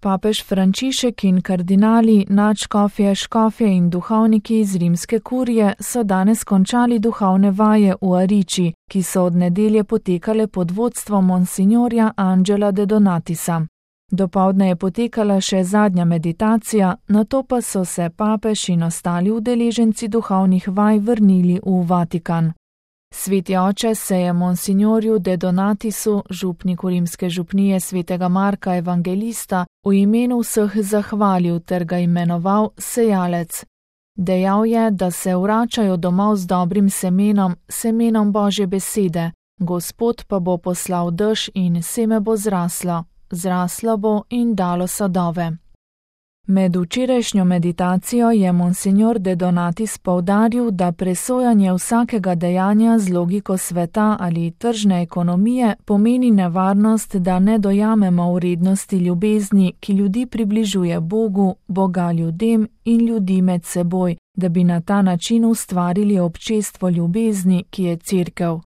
Papež Frančišek in kardinali, nadškofje, škofje in duhovniki iz rimske kurije so danes končali duhovne vaje v Ariči, ki so od nedelje potekale pod vodstvom monsignorja Angela de Donatisa. Dopoldne je potekala še zadnja meditacija, nato pa so se papež in ostali udeleženci duhovnih vaj vrnili v Vatikan. Sveti oče se je monsignorju de Donatisu, župniku rimske župnije svetega Marka Evangelista, v imenu vseh zahvalil ter ga imenoval sejalec. Dejal je, da se vračajo domov z dobrim semenom, semenom Božje besede, Gospod pa bo poslal dež in seme bo zraslo bo in dalo sadove. Med včerajšnjo meditacijo je monsignor de Donatis poudaril, da presojanje vsakega dejanja z logiko sveta ali tržne ekonomije pomeni nevarnost, da ne dojamemo vrednosti ljubezni, ki ljudi približuje Bogu, Boga ljudem in ljudi med seboj, da bi na ta način ustvarili občestvo ljubezni, ki je Cerkev.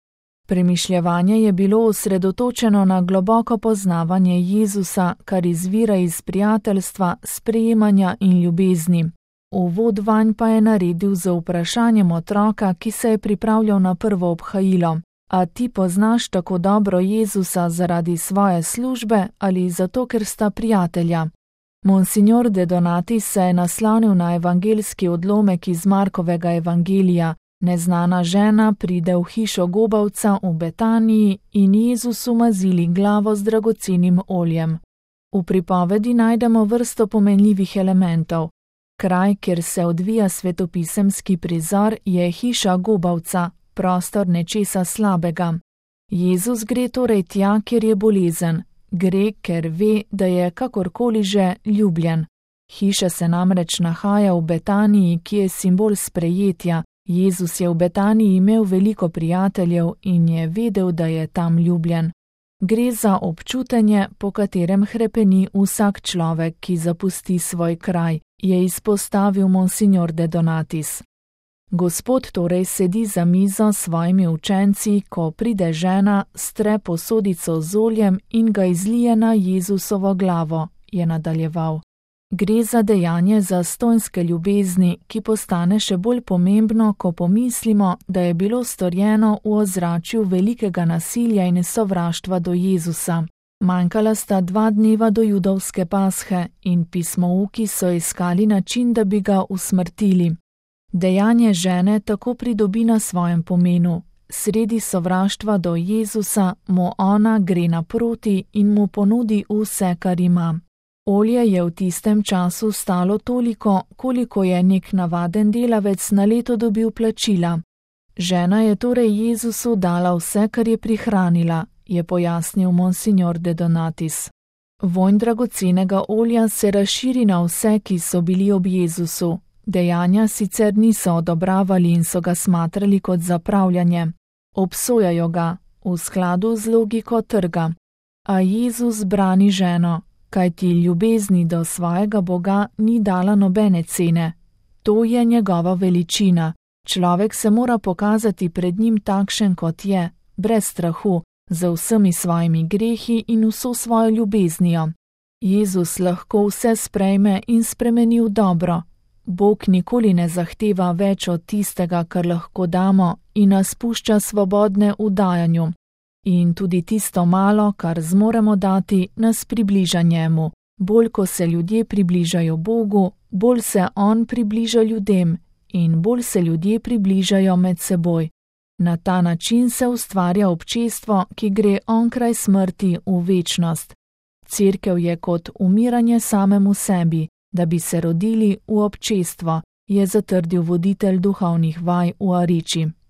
Premišljevanje je bilo osredotočeno na globoko poznavanje Jezusa, kar izvira iz prijateljstva, sprejemanja in ljubezni. Uvod vanj pa je naredil z vprašanjem otroka, ki se je pripravljal na prvo obhajilo. A ti poznaš tako dobro Jezusa zaradi svoje službe ali zato, ker sta prijatelja? Monsignor de Donatis se je naslonil na evangeljski odlomek iz Markovega evangelija. Neznana žena pride v hišo gobavca v Betaniji in Jezusu mazili glavo z dragocenim oljem. V pripovedi najdemo vrsto pomenljivih elementov. Kraj, kjer se odvija svetopisemski prizor, je hiša gobavca, prostor nečesa slabega. Jezus gre torej tja, kjer je bolezen. Gre, ker ve, da je kakorkoli že ljubljen. Hiša se namreč nahaja v Betaniji, ki je simbol sprejetja. Jezus je v Betaniji imel veliko prijateljev in je vedel, da je tam ljubljen. Gre za občutenje, po katerem hrepeni vsak človek, ki zapusti svoj kraj, je izpostavil monsignor de Donatis. Gospod torej sedi za mizo s svojimi učenci, ko pride žena, stre posodico z oljem in ga izlije na Jezusovo glavo, je nadaljeval. Gre za dejanje zastonjske ljubezni, ki postane še bolj pomembno, ko pomislimo, da je bilo storjeno v ozračju velikega nasilja in sovraštva do Jezusa. Manjkala sta 2 dneva do judovske pashe in pismouki so iskali način, da bi ga usmrtili. Dejanje žene tako pridobi na svojem pomenu. Sredi sovraštva do Jezusa mu ona gre naproti in mu ponudi vse, kar ima. Olje je v tistem času stalo toliko, koliko je nek navaden delavec na leto dobil plačila. Žena je torej Jezusu dala vse, kar je prihranila, je pojasnil monsignor de Donatis. Vonj dragocenega olja se razširi na vse, ki so bili ob Jezusu. Dejanja sicer niso odobravali in so ga smatrali kot zapravljanje. Obsojajo ga, v skladu z logiko trga. A Jezus brani ženo, kajti ljubezni do svojega Boga ni dala nobene cene. To je njegova veličina. Človek se mora pokazati pred njim takšen, kot je, brez strahu, z vsemi svojimi grehi in vso svojo ljubeznijo. Jezus lahko vse sprejme in spremeni v dobro. Bog nikoli ne zahteva več od tistega, kar lahko damo, in nas pušča svobodne v dajanju. In tudi tisto malo, kar zmoremo dati, nas približa njemu. Bolj ko se ljudje približajo Bogu, bolj se on približa ljudem in bolj se ljudje približajo med seboj. Na ta način se ustvarja občestvo, ki gre onkraj smrti v večnost. Cerkev je kot umiranje samemu sebi, da bi se rodili v občestvo, je zatrdil voditelj duhovnih vaj v Ariči.